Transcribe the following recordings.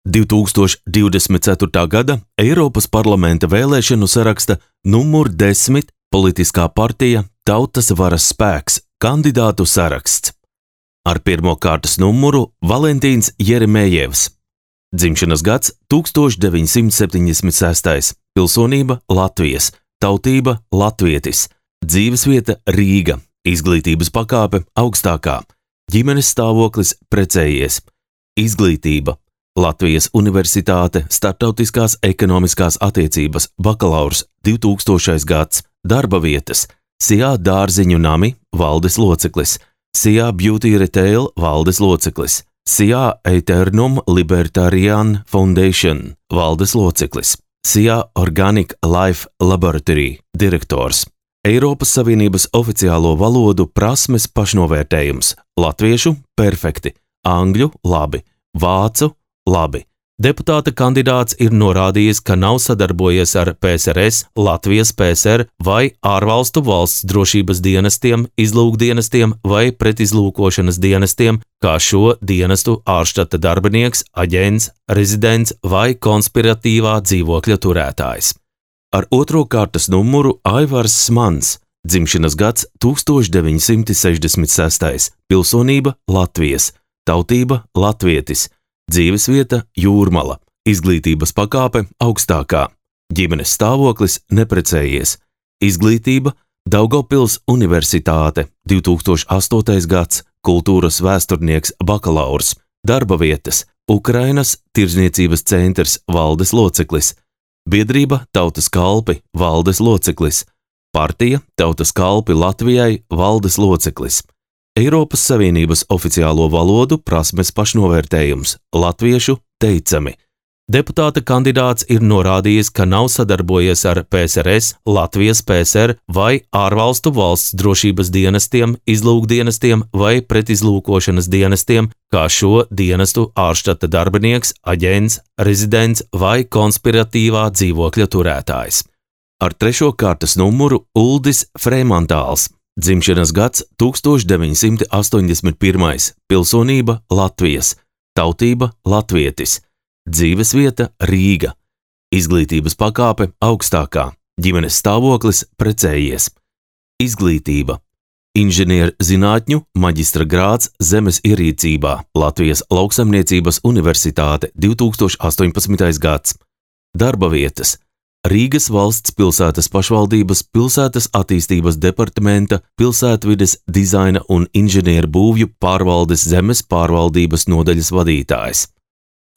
2024. gada Eiropas parlamenta vēlēšanu saraksta numur 10 politiskā partija Tautas varas spēks kandidātu saraksts. Ar pirmo kārtas numuru Valentīns Jeremejevs. Dzimšanas gads 1976. Pilsonība Latvijas, tautība latvietis, dzīvesvieta Rīga, izglītības pakāpe augstākā, ģimenes stāvoklis precējies, izglītība Latvijas Universitāte Startautiskās ekonomiskās attiecības bakalaurs 2000. gads, darba vietas Sijā dārziņu nami valdes loceklis, Sijā Beauty Retail valdes loceklis, Sijā Aeternum Libertarian Foundation valdes loceklis, Sijā Organic Life Laboratory direktors, Eiropas Savienības oficiālo valodu prasmes pašnovērtējums, latviešu perfekti, angļu labi, vācu labi. Deputāta kandidāts ir norādījis, ka nav sadarbojies ar PSRS, Latvijas PSR vai ārvalstu valsts drošības dienestiem, izlūkdienestiem vai pretizlūkošanas dienestiem, kā šo dienestu ārštata darbinieks, aģents, rezidents vai konspiratīvā dzīvokļa turētājs. Ar otro kārtas numuru Aivars Smans, dzimšanas gads 1966. Pilsonība Latvijas, tautība latvietis, dzīvesvieta Jūrmala, izglītības pakāpe augstākā, ģimenes stāvoklis neprecējies, izglītība Daugavpils Universitāte 2008. gads, kultūras vēsturnieks bakalaurs, darba vietas Ukrainas Tirdzniecības centrs valdes loceklis, biedrība Tautas kalpi valdes loceklis, partija Tautas kalpi Latvijai valdes loceklis, Eiropas Savienības oficiālo valodu prasmes pašnovērtējums, latviešu teicami. Deputāta kandidāts ir norādījis, ka nav sadarbojies ar PSRS, Latvijas PSR vai ārvalstu valsts drošības dienestiem, izlūkdienestiem vai pretizlūkošanas dienestiem, kā šo dienestu ārštata darbinieks, aģents, rezidents vai konspiratīvā dzīvokļa turētājs. Ar trešo kārtas numuru Uldis Freimantāls. Dzimšanas gads 1981. Pilsonība Latvijas, tautība latvietis, dzīvesvieta Rīga, izglītības pakāpe augstākā, ģimenes stāvoklis precējies, izglītība inženierzinātņu maģistra grāds zemes ierīcībā, Latvijas Lauksaimniecības Universitāte 2018. gads, darba vietas Rīgas valsts pilsētas pašvaldības pilsētas attīstības departamenta pilsētvides dizaina un inženieru būvju pārvaldes zemes pārvaldības nodaļas vadītājs.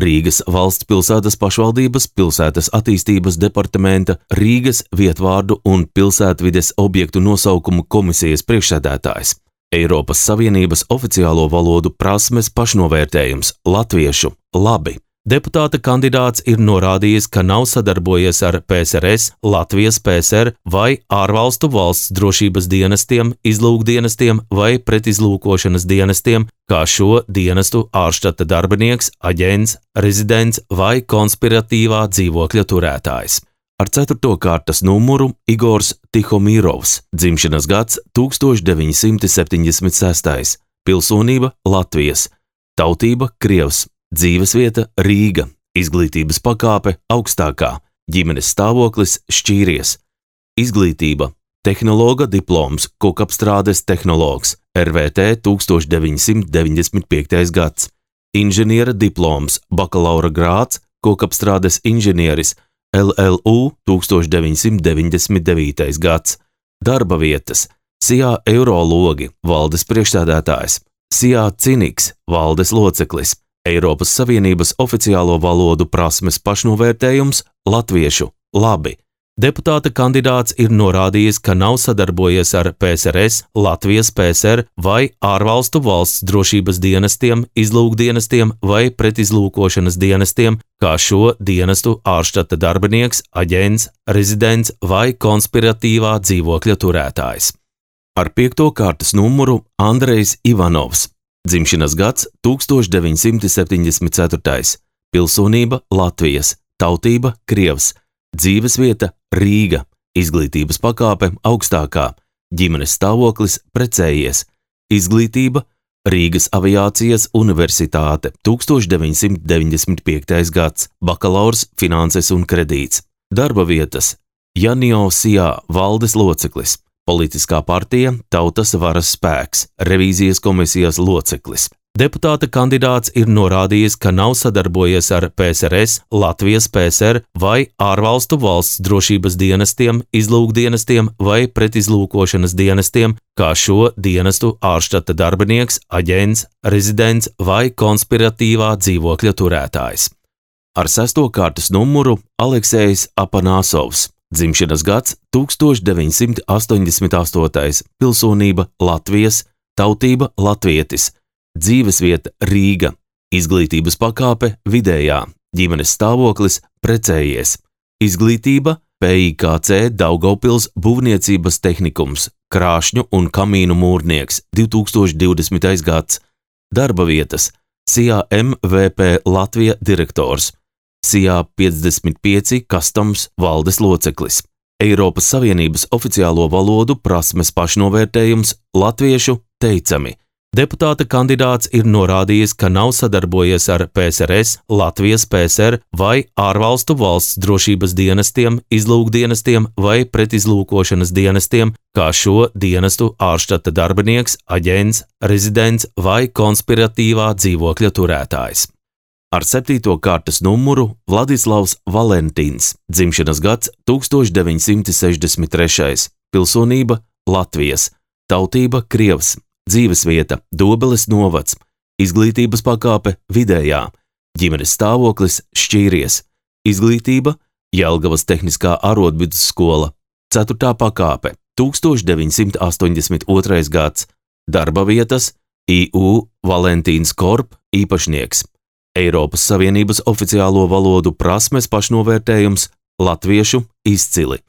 Rīgas valsts pilsētas pašvaldības pilsētas attīstības departamenta Rīgas vietvārdu un pilsētvides objektu nosaukumu komisijas priekšsēdētājs. Eiropas Savienības oficiālo valodu prasmes pašnovērtējums, latviešu labi. Deputāta kandidāts ir norādījis, ka nav sadarbojies ar PSRS, Latvijas PSR vai ārvalstu valsts drošības dienestiem, izlūkdienestiem vai pretizlūkošanas dienestiem, kā šo dienestu ārštata darbinieks, aģents, rezidents vai konspiratīvā dzīvokļa turētājs. Ar ceturto kārtas numuru Igors Tihomīrovs, dzimšanas gads 1976. Pilsonība Latvijas, tautība Krievs, dzīvesvieta Rīga, izglītības pakāpe augstākā, ģimenes stāvoklis šķīries, izglītība tehnologa diploms, kokapstrādes tehnologs, RVT 1995. gads, inženiera diploms, bakalaura grāds, kokapstrādes inženieris, LLU 1999. gads, darba vietas Sijā Eurologi, valdes priekšsēdētājs, Sijā Ciniks, valdes loceklis, Eiropas Savienības oficiālo valodu prasmes pašnovērtējums, latviešu labi. Deputāta kandidāts ir norādījis, ka nav sadarbojies ar PSRS, Latvijas PSR vai ārvalstu valsts drošības dienestiem, izlūkdienestiem vai pretizlūkošanas dienestiem, kā šo dienestu ārštata darbinieks, aģents, rezidents vai konspiratīvā dzīvokļa turētājs. Ar piekto kārtas numuru Andrejs Ivanovs. Dzimšanas gads 1974. Pilsonība Latvijas, tautība Krievs, dzīvesvieta Rīga, izglītības pakāpe augstākā, ģimenes stāvoklis precējies, izglītība Rīgas aviācijas universitāte 1995. gads, bakalaurs, finanses un kredīts. Darba vietas Janio Sijā valdes loceklis, politiskā partija Tautas varas spēks, revīzijas komisijas loceklis. Deputāta kandidāts ir norādījis, ka nav sadarbojies ar PSRS, Latvijas PSR vai ārvalstu valsts drošības dienestiem, izlūkdienestiem vai pretizlūkošanas dienestiem, kā šo dienestu ārštata darbinieks, aģents, rezidents vai konspiratīvā dzīvokļa turētājs. Ar 6. kārtas numuru Aleksejs Apanasovs, dzimšanas gads 1988, pilsonība Latvijas, tautība latvietis. Dzīvesvieta Rīga, izglītības pakāpe vidējā, ģimenes stāvoklis precējies, izglītība PIKC Daugavpils būvniecības tehnikums, krāšņu un kamīnu mūrnieks 2020. gads, darba vietas Sijā MVP Latvija direktors, Sijā 55 Customs valdes loceklis, Eiropas Savienības oficiālo valodu prasmes pašnovērtējums latviešu teicami. Deputāta kandidāts ir norādījis, ka nav sadarbojies ar PSRS, Latvijas PSR vai ārvalstu valsts drošības dienestiem, izlūkdienestiem vai pretizlūkošanas dienestiem, kā šo dienestu ārštata darbinieks, aģents, rezidents vai konspiratīvā dzīvokļa turētājs. Ar 7. kārtas numuru Vladislavs Valentīns, dzimšanas gads 1963, pilsonība Latvijas, tautība Krievs. Dzīvesvieta Dobeles novads, izglītības pakāpe vidējā, ģimenes stāvoklis šķīries, izglītība Jelgavas tehniskā arodvidusskola, 4. pakāpe 1982. gads, darba vietas IU Valentīns Korp īpašnieks, Eiropas Savienības oficiālo valodu prasmes pašnovērtējums latviešu izcili.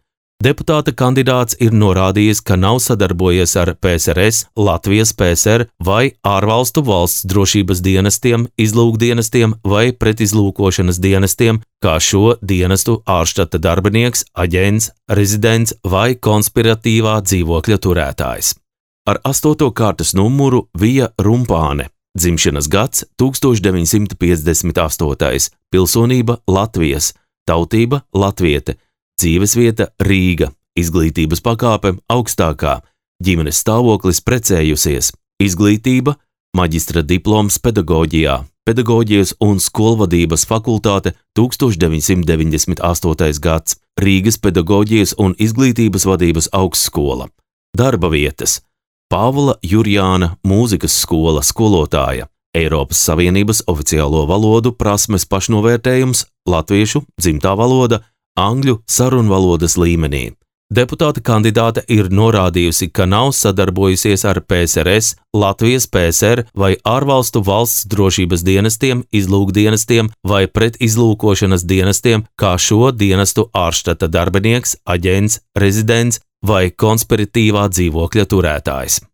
Deputāta kandidāts ir norādījis, ka nav sadarbojies ar PSRS, Latvijas PSR vai ārvalstu valsts drošības dienestiem, izlūkdienestiem vai pretizlūkošanas dienestiem, kā šo dienestu ārštata darbinieks, aģents, rezidents vai konspiratīvā dzīvokļa turētājs. Ar 8. kārtas numuru Vija Rumpāne, dzimšanas gads 1958, pilsonība Latvijas, tautība latviete. Dzīvesvieta Rīga, izglītības pakāpe augstākā, ģimenes stāvoklis precējusies, izglītība, maģistra diploms pedagoģijā, pedagoģijas un skolvadības fakultāte 1998. gads, Rīgas pedagoģijas un izglītības vadības augstskola, darba vietas, Pāvila Jurjāna mūzikas skola skolotāja, Eiropas Savienības oficiālo valodu prasmes pašnovērtējums latviešu dzimtā valoda, angļu sarunvalodas līmenī. Deputāta kandidāte ir norādījusi, ka nav sadarbojusies ar PSRS, Latvijas PSR vai ārvalstu valsts drošības dienestiem, izlūkdienestiem vai pretizlūkošanas dienestiem, kā šo dienestu ārštata darbinieks, aģents, rezidents vai konspiratīvā dzīvokļa turētājs.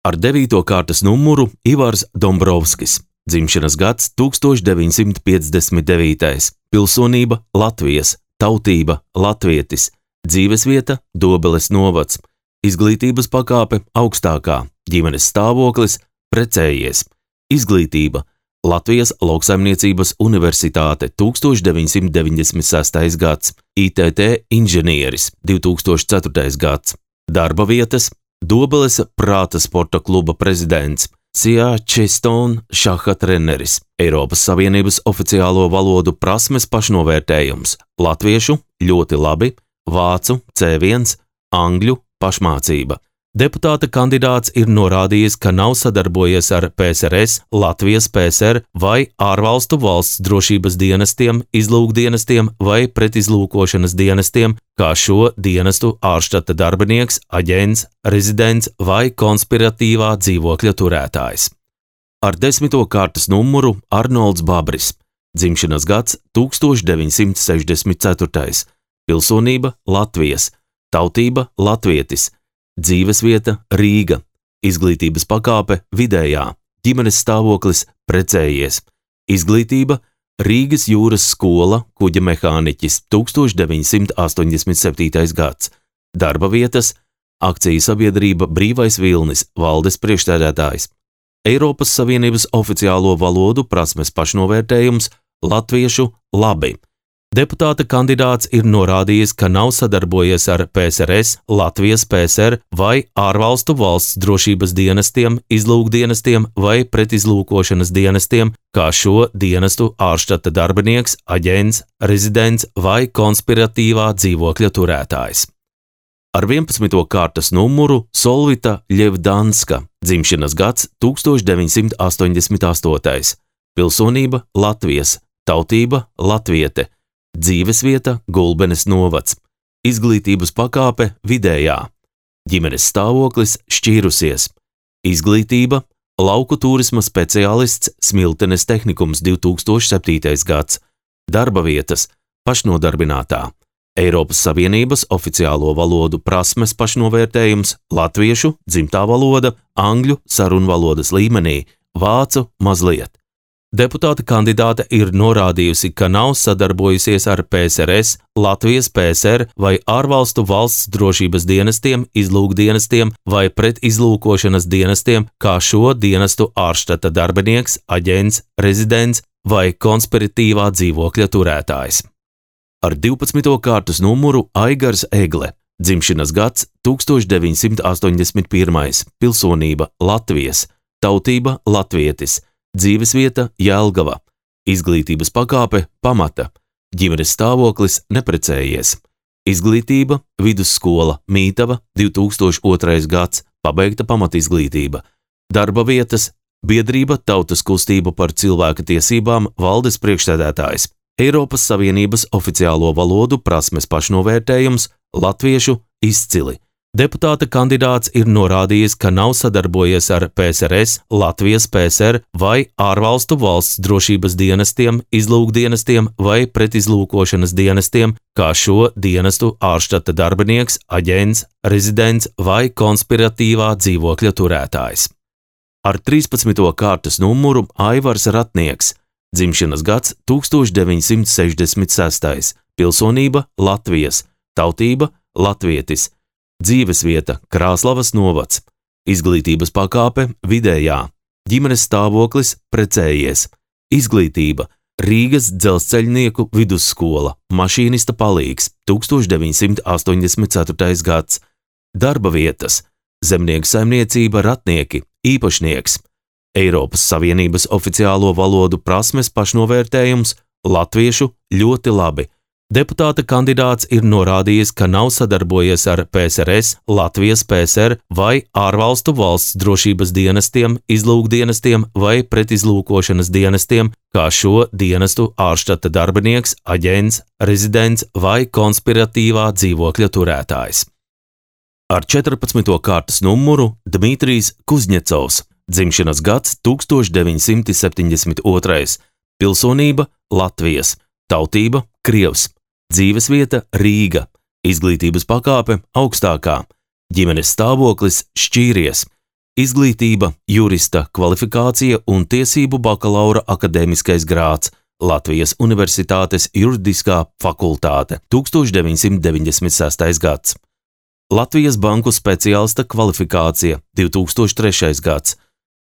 Ar 9. kārtas numuru Ivars Dombrovskis, dzimšanas gads 1959, pilsonība Latvijas, tautība latvietis, dzīvesvieta Dobeles novads, izglītības pakāpe augstākā, ģimenes stāvoklis precējies, izglītība Latvijas lauksaimniecības universitāte 1996. gads, ITT inženieris 2004. gads, darba vietas Dobeles prāta sporta kluba prezidents, Sijā Čestone šaha treneris, Eiropas Savienības oficiālo valodu prasmes pašnovērtējums, latviešu ļoti labi, vācu C1, angļu pašmācība. Deputāta kandidāts ir norādījis, ka nav sadarbojies ar PSRS, Latvijas PSR vai ārvalstu valsts drošības dienestiem, izlūkdienestiem vai pretizlūkošanas dienestiem, kā šo dienestu ārštata darbinieks, aģents, rezidents vai konspiratīvā dzīvokļa turētājs. Ar 10. kārtas numuru Arnolds Babris, dzimšanas gads 1964, pilsonība Latvijas, tautība latvietis, dzīvesvieta Rīga, izglītības pakāpe vidējā, ģimenes stāvoklis precējies, izglītība Rīgas jūras skola, kuģa mehāniķis 1987. gads, darba vietas akciju sabiedrība Brīvais Vilnis, valdes priekšsēdētājs, Eiropas Savienības oficiālo valodu prasmes pašnovērtējums latviešu labi. Deputāta kandidāts ir norādījis, ka nav sadarbojies ar PSRS, Latvijas PSR vai ārvalstu valsts drošības dienestiem, izlūkdienestiem vai pretizlūkošanas dienestiem, kā šo dienestu ārštata darbinieks, aģents, rezidents vai konspiratīvā dzīvokļa turētājs. Ar 11. kārtas numuru Solvita Ļevdanska, dzimšanas gads 1988, pilsonība Latvijas, tautība latviete, dzīvesvieta Gulbenes novads, izglītības pakāpe vidējā, ģimenes stāvoklis šķīrusies, izglītība lauku turisma speciālists Smiltenes tehnikums 2007. gads, darba vietas pašnodarbinātā, Eiropas Savienības oficiālo valodu prasmes pašnovērtējums latviešu dzimtā valoda, angļu sarunvalodas līmenī, vācu mazliet. Deputāta kandidāte ir norādījusi, ka nav sadarbojusies ar PSRS, Latvijas PSR vai ārvalstu valsts drošības dienestiem, izlūkdienestiem vai pretizlūkošanas dienestiem, kā šo dienestu ārštata darbinieks, aģents, rezidents vai konspiratīvā dzīvokļa turētājs. Ar 12. kārtas numuru Aigars Egle, dzimšanas gads 1981, pilsonība Latvijas, tautība latvietis, dzīvesvieta Jelgava, izglītības pakāpe pamata, ģimenes stāvoklis neprecējies, izglītība vidusskola Mītava 2002. gads, pabeigta pamatizglītība, darba vietas biedrība Tautas kustība par cilvēka tiesībām valdes priekšsēdētājs, Eiropas Savienības oficiālo valodu prasmes pašnovērtējums latviešu izcili. Deputāta kandidāts ir norādījis, ka nav sadarbojies ar PSRS, Latvijas PSR vai ārvalstu valsts drošības dienestiem, izlūkdienestiem vai pretizlūkošanas dienestiem, kā šo dienestu ārštata darbinieks, aģents, rezidents vai konspiratīvā dzīvokļa turētājs. Ar 13. kārtas numuru Aivars Ratnieks, dzimšanas gads 1966, pilsonība Latvijas, tautība latvietis, dzīvesvieta Krāslavas novads, izglītības pakāpe vidējā, ģimenes stāvoklis precējies, izglītība Rīgas dzelzceļnieku vidusskola, mašīnista palīgs 1984. gads, darba vietas zemnieku saimniecība Ratnieki, īpašnieks, Eiropas Savienības oficiālo valodu prasmes pašnovērtējums latviešu ļoti labi. Deputāta kandidāts ir norādījis, ka nav sadarbojies ar PSRS, Latvijas PSR vai ārvalstu valsts drošības dienestiem, izlūkdienestiem vai pretizlūkošanas dienestiem, kā šo dienestu ārštata darbinieks, aģents, rezidents vai konspiratīvā dzīvokļa turētājs. Ar 14. kārtas numuru Dmitrijs Kuzņecovs, dzimšanas gads 1972, pilsonība Latvijas, tautība Krievs, dzīvesvieta Rīga, izglītības pakāpe augstākā, ģimenes stāvoklis šķīries, izglītība jurista kvalifikācija un tiesību bakalaura akadēmiskais grāds, Latvijas Universitātes juridiskā fakultāte 1996. gads, Latvijas banku speciālista kvalifikācija 2003. gads,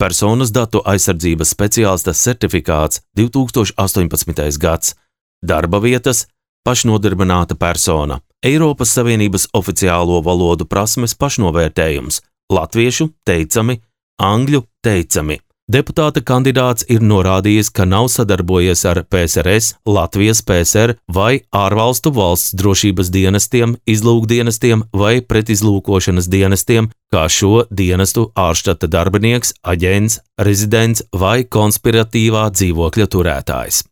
personas datu aizsardzības speciālista certifikāts 2018. gads, darba vietas pašnodarbināta persona, Eiropas Savienības oficiālo valodu prasmes pašnovērtējums, latviešu teicami, angļu teicami. Deputāta kandidāts ir norādījis, ka nav sadarbojies ar PSRS, Latvijas PSR vai ārvalstu valsts drošības dienestiem, izlūkdienestiem vai pretizlūkošanas dienestiem, kā šo dienestu ārštata darbinieks, aģents, rezidents vai konspiratīvā dzīvokļa turētājs.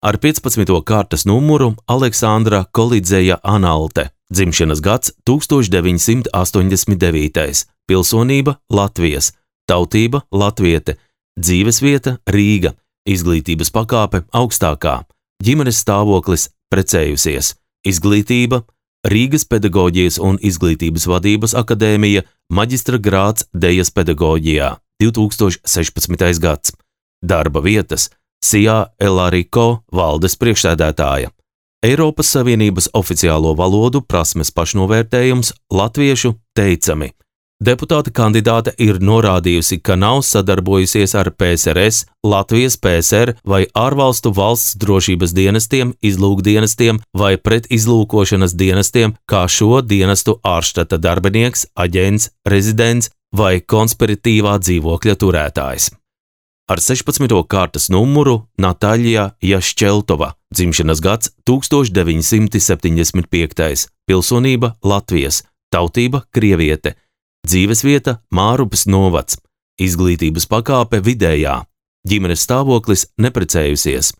Ar 15. kārtas numuru Aleksandra Kolidzeja Analte, dzimšanas gads 1989, pilsonība Latvijas, tautība latviete, dzīvesvieta Rīga, izglītības pakāpe augstākā, ģimenes stāvoklis precējusies, izglītība Rīgas pedagoģijas un izglītības vadības akadēmija, maģistra grāds dejas pedagoģijā 2016. gads, darba vietas Sijā Elāriko valdes priekšsēdētāja, Eiropas Savienības oficiālo valodu prasmes pašnovērtējums latviešu teicami, Deputāta kandidāte ir norādījusi, ka nav sadarbojusies ar PSRS, Latvijas PSR vai ārvalstu valsts drošības dienestiem, izlūkdienestiem vai pretizlūkošanas dienestiem, kā šo dienestu ārštata darbinieks, aģents, rezidents vai konspiratīvā dzīvokļa turētājs. Ar 16. kārtas numuru Natāļa Jašķeltova, dzimšanas gads 1975, pilsonība Latvijas, tautība krieviete, dzīvesvieta Mārupes novads, izglītības pakāpe vidējā, ģimenes stāvoklis neprecējusies,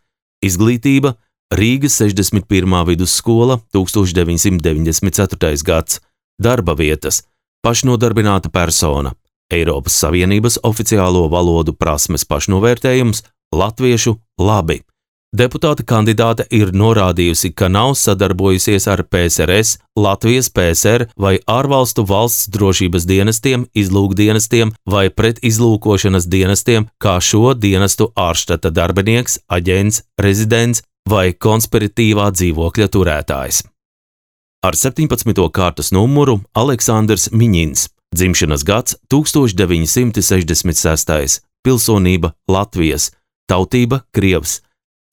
izglītība Rīgas 61. vidusskola 1994. gads, darba vietas, pašnodarbināta persona, Eiropas Savienības oficiālo valodu prasmes pašnovērtējums, latviešu labi. Deputāta kandidāte ir norādījusi, ka nav sadarbojusies ar PSRS, Latvijas PSR vai ārvalstu valsts drošības dienestiem, izlūkdienestiem vai pretizlūkošanas dienestiem, kā šo dienestu ārštata darbinieks, aģents, rezidents vai konspiratīvā dzīvokļa turētājs. Ar 17. kārtas numuru Aleksandrs Miņins, dzimšanas gads 1966, pilsonība Latvijas, tautība krievs,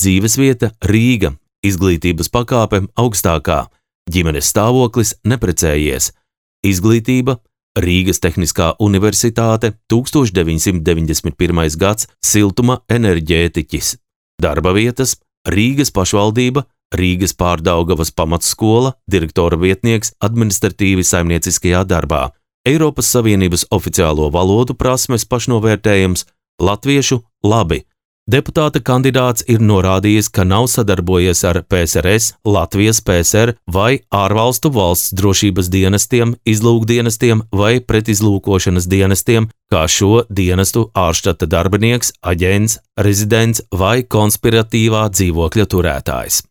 dzīvesvieta Rīga, izglītības pakāpe augstākā, ģimenes stāvoklis neprecējies, izglītība Rīgas Tehniskā universitāte 1991. gads, siltuma enerģētiķis, darba vietas Rīgas pašvaldība, Rīgas Pārdaugavas pamatskola, direktora vietnieks administratīvi saimnieciskajā darbā, Eiropas Savienības oficiālo valodu prasmes pašnovērtējums, latviešu labi. Deputāta kandidāts ir norādījis, ka nav sadarbojies ar PSRS, Latvijas PSR vai ārvalstu valsts drošības dienestiem, izlūkdienestiem vai pretizlūkošanas dienestiem, kā šo dienestu ārštata darbinieks, aģents, rezidents vai konspiratīvā dzīvokļa turētājs.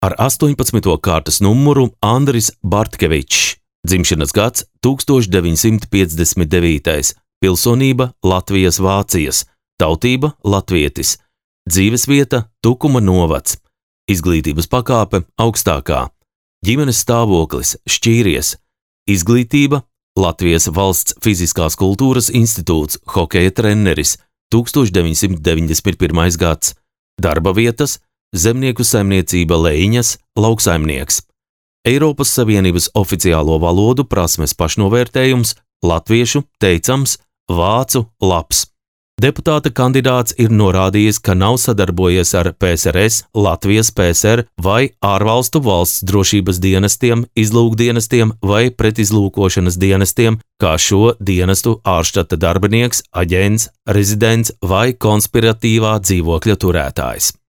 Ar 18. kārtas numuru Andris Bartkevičs, dzimšanas gads 1959, pilsonība Latvijas Vācijas, tautība latvietis, dzīvesvieta Tukuma novads, izglītības pakāpe augstākā, ģimenes stāvoklis šķīries, izglītība Latvijas Valsts fiziskās kultūras institūts, hokeja treneris 1991. gads, darba vietas zemnieku saimniecība Leiņas, lauksaimnieks, Eiropas Savienības oficiālo valodu prasmes pašnovērtējums, latviešu teicams, vācu labs. Deputāta kandidāts ir norādījis, ka nav sadarbojies ar PSRS, Latvijas PSR vai ārvalstu valsts drošības dienestiem, izlūkdienestiem vai pretizlūkošanas dienestiem, kā šo dienestu ārštata darbinieks, aģents, rezidents vai konspiratīvā dzīvokļa turētājs.